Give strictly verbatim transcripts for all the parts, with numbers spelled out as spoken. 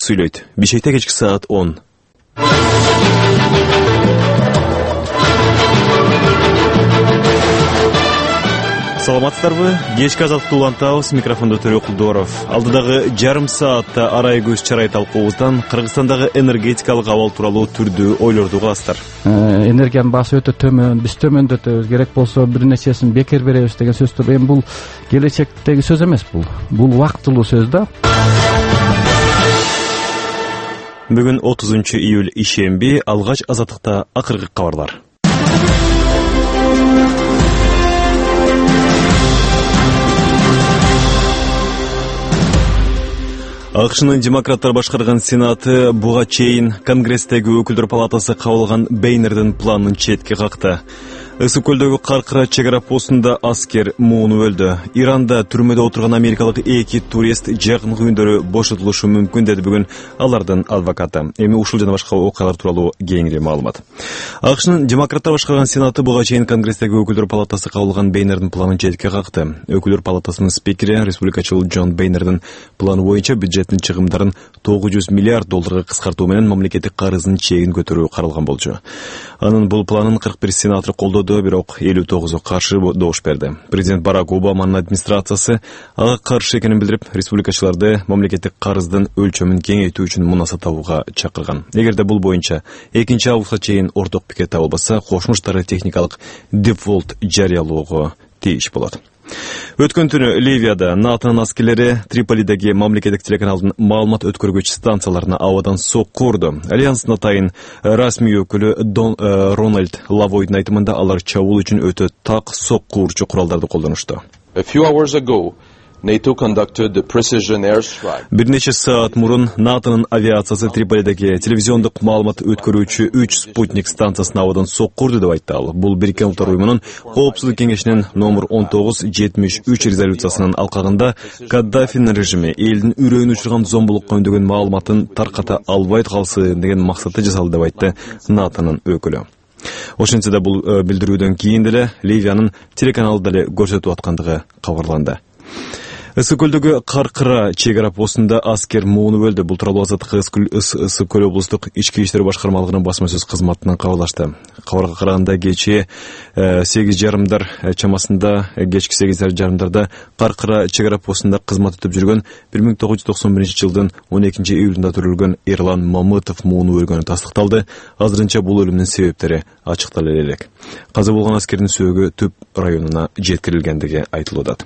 сүйлөйт. Бишкекте кечки саат он. Саламатсыздарбы? Кечки азаттыкты улантабыз. Микрофондо Төрө Кулдоров. Алдыдагы жарым саатта арай көз чарай талкуубуздан Кыргызстандагы энергетикалык абал тууралуу түрдүү ойлорду угасыздар. Энергиянын баасы өтө төмөн, биз төмөндөтөбүз, керек болсо бир нечесин бекер беребиз деген сөздөр эми бул келечектеги сөз эмес, бул бул убактылуу сөз да. Бүгүн отузунчу июль ишемби, алгач азаттыкта акыркы кабарлар. АКШнын демократтар башкарган Сенаты буга чейин Конгресстеги өкүлдөр палатасы кабыл алган Бейнердин планын четке какты. Ысык көлдөгү Каркыра чек ара постунда аскер муунуп өлдү. Иранда түрмөдө отурган америкалык эки турист жакынкы күндөрү бошотулушу мүмкүн деди бүгүн алардын адвокаты. Эми ушул жана башка окуялар тууралуу кеңири маалымат. АКШнын демократтар башкарган Сенаты буга чейин Конгресстеги өкүлдөр палатасы кабыл алган Бейнердин планын четке какты. Өкүлдөр палатасынын спикери, республикачыл Джон Бейнердин планы боюнча бюджеттин чыгымдарын тогуз жүз миллиард долларга кыскартуу менен мамлекеттик карыздын чегин көтөрүү каралган болчу. Анын бул планын кырк бир сенатор колдоду, бирок элүү тогузу каршы добуш берди. Президент Барак Обаманын администрациясы ага каршы экенин билдирип, республикачыларды мамлекеттик карыздын өлчөмүн кеңейтүү үчүн мунаса табууга чакырган. Эгерде бул боюнча экинчи августка чейин орток пикир табылбаса, Кошмо Штаттар техникалык дефолт жарыялоого тийиш болот. Өткөн түнү Ливияда НАТОнун аскерлери Триполидеги мамлекеттик телеканалдын маалымат өткөргүч станцияларына абадан сокку урду. Альянстын атайын расмий өкүлү Дон э, Рональд Лавойдун айтымында алар чабуул үчүн өтө так сокку урчу куралдарды колдонушту. A few hours ago, NATO conducted the precision airstrike. Бир нече саат мурун НАТОнун авиациясы Триполидеги телевизиондук маалымат өткөрүүчү үч спутник станциясына абадан сокку урду деп айтты ал. Бул Бириккен Улуттар уюмунун Коопсуздук кеңешинин номер он тогуз жетимиш үч резолюциясынын алкагында Каддафинин режими элдин үрөйүн учурган зомбулукка үндөгөн маалыматын тарката албай калсын деген максатта жасалды деп айтты НАТОнун өкүлү. Ошентсе да бул билдирүүдөн кийин деле Ливиянын телеканалы деле көрсөтүп аткандыгы кабарланды. Ысык көлдөгү Каркыра чек ара постунда аскер муунуп өлдү. Бул тууралуу Азаттык Ысык көл облустук ички иштер башкармалыгынын басма сөз кызматынан кабарлашты. Кабарга караганда кечээ сегиз жарымдар чамасында, кечки сегиз жарымдарда Каркыра чек ара постунда кызмат өтүп жүргөн бир миң тогуз жүз токсон биринчи жылдын он экинчи июлунда төрөлгөн Эрлан Мамытов муунуп өлгөнү тастыкталды. Азырынча бул өлүмдүн себептери ачыктала элек. Каза болгон аскердин сөөгү Түп районуна жеткирилгендиги айтылууда.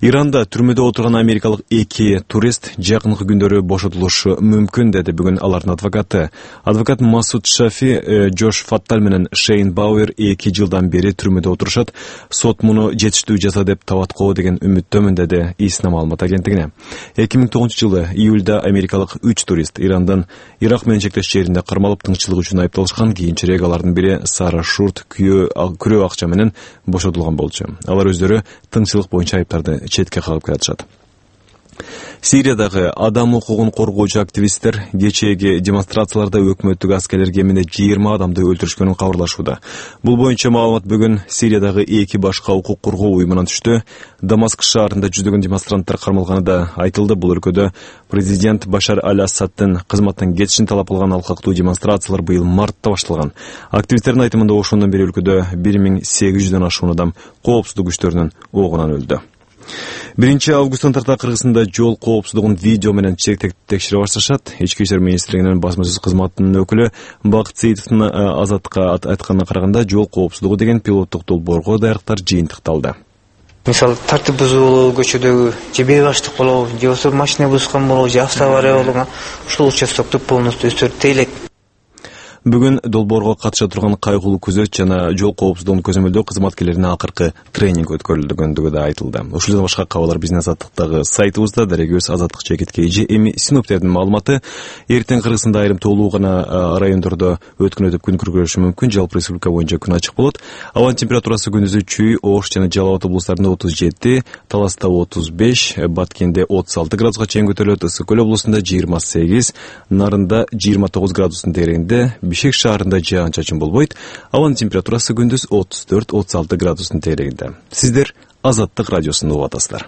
Иранда түрмөдө отурган америкалык эки турист жакынкы күндөрү бошотулушу мүмкүн деди бүгүн алардын адвокаты. Адвокат Масуд Шафи, Джош Фатталь менен Шейн Бауэр эки жылдан бери түрмөдө отурушат. Сот муну жетиштүү жаза деп табаткоо деген үмүттөмүн деди ИСНА маалымат агенттигине. эки миң тогузунчу жылы июлда америкалык үч турист Ирандан Ирак менен чектеш жеринде кармалып тынччылык үчүн айыпталышкан. Кийинчерээк алардын бири Сара Шурт күрөө акча менен бошотулган болчу. Алар өздөрү тыңчылык боюнча айыптарды четке кагып келатышат. Сириядагы адам укугун коргоочу активисттер кечээги демонстрацияларда өкмөттүк аскерлер кеминде жыйырма адамды өлтүрүшкөнүн кабарлашууда. Бул боюнча маалымат бүгүн Сириядагы эки башка укук коргоо уюмунан түштү. Дамаск шаарында жүздөгөн демонстранттар кармалганы да айтылды. Бул өлкөдө президент Башар аль-Асаддын кызматтан кетишин талап кылган алкактуу демонстрациялар быйыл мартта башталган. Активисттердин айтымында ошондон бери өлкөдө бир миң сегиз жүздөн ашуун адам коопсуздук күчтөрүнүн огунан өлдү. биринчи августтан тарта Кыргызстанда жол коопсуздугун видео менен текшере башташат. Ички иштер министрлигинин басма сөз кызматынын өкүлү Бакыт Сейитовдун Азаттыкка айтканына караганда, жол коопсуздугу деген пилоттук долбоорго даярдыктар жыйынтыкталды. Мисалы, тартип бузуу көчөдөгү же бей баштык болобу, же болбосо машина бузган болобу, же автоавария болгон, ушул участокту полностью өздөрү тейлейт. Бүгүн долбоорго катыша турган кайгылуу күзөт жана жол коопсуздугун көзөмөлдөө кызматкерлерине акыркы тренинг өткөрүлгөндүгү да айтылды. Ушул жана башка кабарлар биздин Азаттыктагы сайтыбызда. Дарегөз Азаттык чекит kg. Эми синоптиктердин маалыматы: эртең Кыргызстанда айрым тоолуу гана райондордо өткөн өтүп күн күркүрөшү мүмкүн. Жалпы республика боюнча күн ачык болот. Абанын температурасы күндүзү Чүй, Ош жана Жалал Абад облустарында отуз жети, Таласта отуз беш, Баткенде отуз алты градуска чейин көтөрүлөт. Ысык көл облусунда жыйырма сегиз, Нарында жыйырма тогуз градустун тегерегинде, Бишкек шаарында жаан-чачын болбойт. Абанын температурасы күндүз отуз төрт отуз алты градустун тегерегинде. Сиздер Азаттык радиосун угуп атасыздар.